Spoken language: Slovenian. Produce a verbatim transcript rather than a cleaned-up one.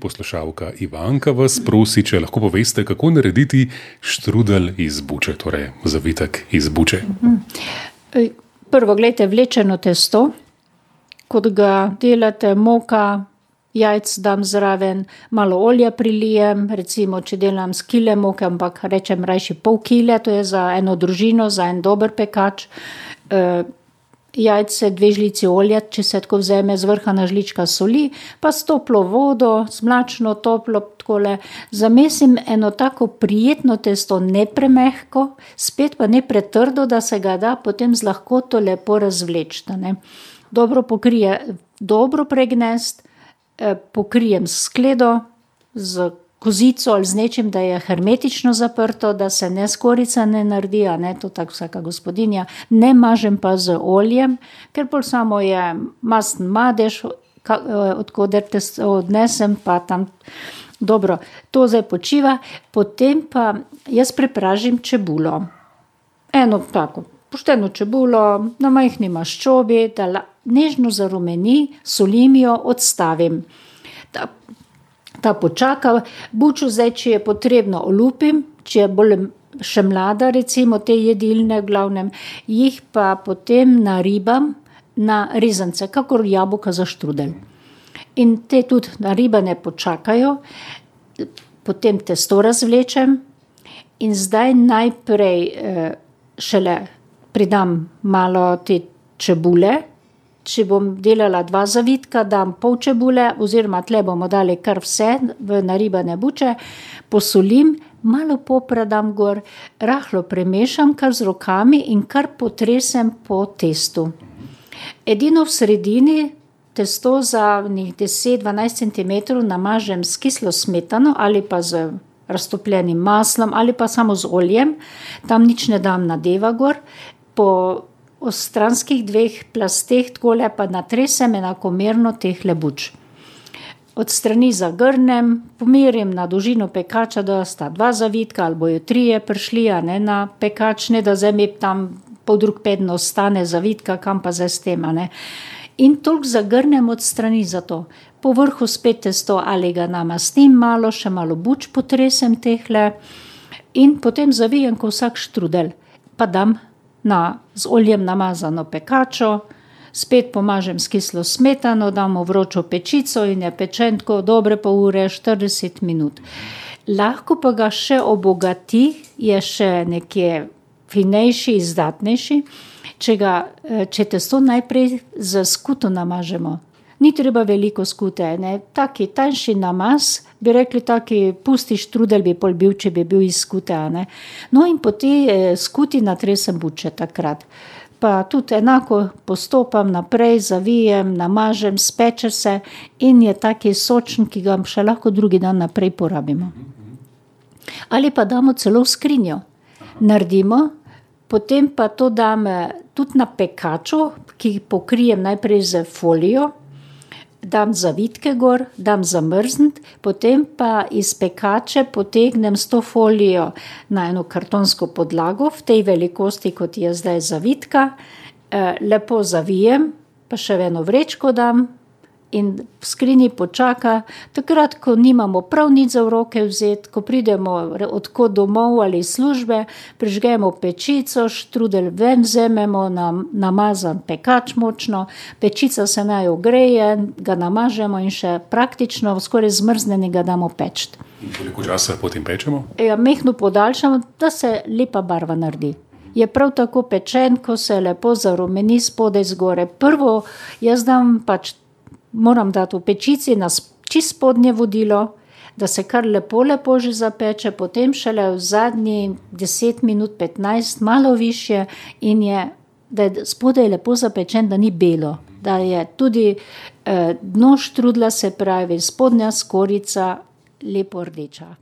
Poslušalka Ivanka vas prosi, če lahko poveste, kako narediti štrudelj iz buče, torej zavitek iz buče. Prvo, gledajte, vlečeno testo, kot ga delate, moka, jajc dam zraven, malo olja prilijem, recimo, če delam s kile moke, ampak rečem rajši pol kile, to je za eno družino, za en dober pekač. Jajce, dve žlici olja, če se tako vzeme, zvrhana žlička soli, pa s toplo vodo, s mlačno, toplo, takole, zamesim eno tako prijetno testo, ne premehko, spet pa ne pretrdo, da se ga da potem z lahkoto lepo razvleči, ne. Dobro pokrije, dobro pregnesti, pokrijem s skledo, z kozico ali z nečim, da je hermetično zaprto, da se ne skorica ne naredi, a ne, to tako vsaka gospodinja, ne mažem pa z oljem, ker pol samo je masten madež, od koder testo odnesem, pa tam, dobro, to zdaj počiva, potem pa jaz prepražim čebulo. Eno tako, pošteno čebulo, na majhni maščobi, da nežno zarumeni, solim jo, odstavim. Ta Ta počaka, bučo zdaj, če je potrebno, olupim, če je bolj še mlada, recimo te jedilne, v glavnem, jih pa potem naribam na rezance, kakor jabolka za štrudelj. In te tudi naribane počakajo, potem testo razvlečem in zdaj najprej šele pridam malo te čebule. Če bom delala dva zavitka, dam pol čebule, oziroma tle bomo dali kar vse v naribane buče, posolim, malo popra dam gor, rahlo premešam kar z rokami in kar potresem po testu. Edino v sredini testo za deset do dvanajst centimetrov namažem s kislo smetano ali pa z raztopljenim maslom ali pa samo z oljem, tam nič ne dam nadeva gor, po v stranskih dveh plasteh takole pa natresem enakomerno tehle buč. Od strani zagrnem, pomerim na dolžino pekača, da sta dva zavitka ali bojo trije prišli, a ne, na pekač, ne da zdaj mi tam poldrug peden ostane zavitka, kam pa zdaj s tem, a ne. In toliko zagrnem od strani za to. Po vrhu spet testo ali ga namastim malo, še malo buč potresem tehle in potem zavijem ko vsak štrudelj, pa dam na z oljem namazano pekačo, spet pomažem s kislo smetano, dam v vročo pečico in je pečen tako dobre pol ure, štirideset minut. Lahko pa ga še obogati, je še nekje finejši, izdatnejši, če ga, če testo najprej z skuto namažemo. Ni treba veliko skute, ne, taki tanjši namaz, bi rekli taki pusti štrudelj bi pol bil, če bi bil iz skute, a ne. No, in po tej skuti natresem buče takrat. Pa tudi enako postopam naprej, zavijem, namažem, speče se in je taki sočen, ki ga še lahko drugi dan naprej porabimo. Ali pa damo celo v skrinjo. Naredimo, potem pa to dam tudi na pekaču, ki pokrijem najprej z folijo, dam zavitke gor, dam zamrzniti, potem pa iz pekače potegnem s to folijo na eno kartonsko podlago, v tej velikosti, kot je zdaj zavitka, lepo zavijem, pa še v eno vrečko dam in v skrinji počaka, takrat, ko nimamo prav nič za v roke vzeti, ko pridemo od kod domov ali iz službe, prižgemo pečico, štrudelj ven vzamemo, namazan pekač močno, pečica se naj ogreje, ga namažemo in še praktično skoraj zmrznjenega damo peči. In koliko časa potem pečemo? Ja, majhno podaljšamo, da se lepa barva naredi. Je prav tako pečen, ko se lepo zarumeni spodaj zgore. Prvo, jaz dam pač moram dati v pečici na čisto spodnje vodilo, da se kar lepo, lepo že zapeče, potem šele v zadnji deset minut, petnajst, malo višje in je, da je spodaj lepo zapečen, da ni belo, da je tudi eh, dno štrudlja, se pravi spodnja skorica, lepo rdeča.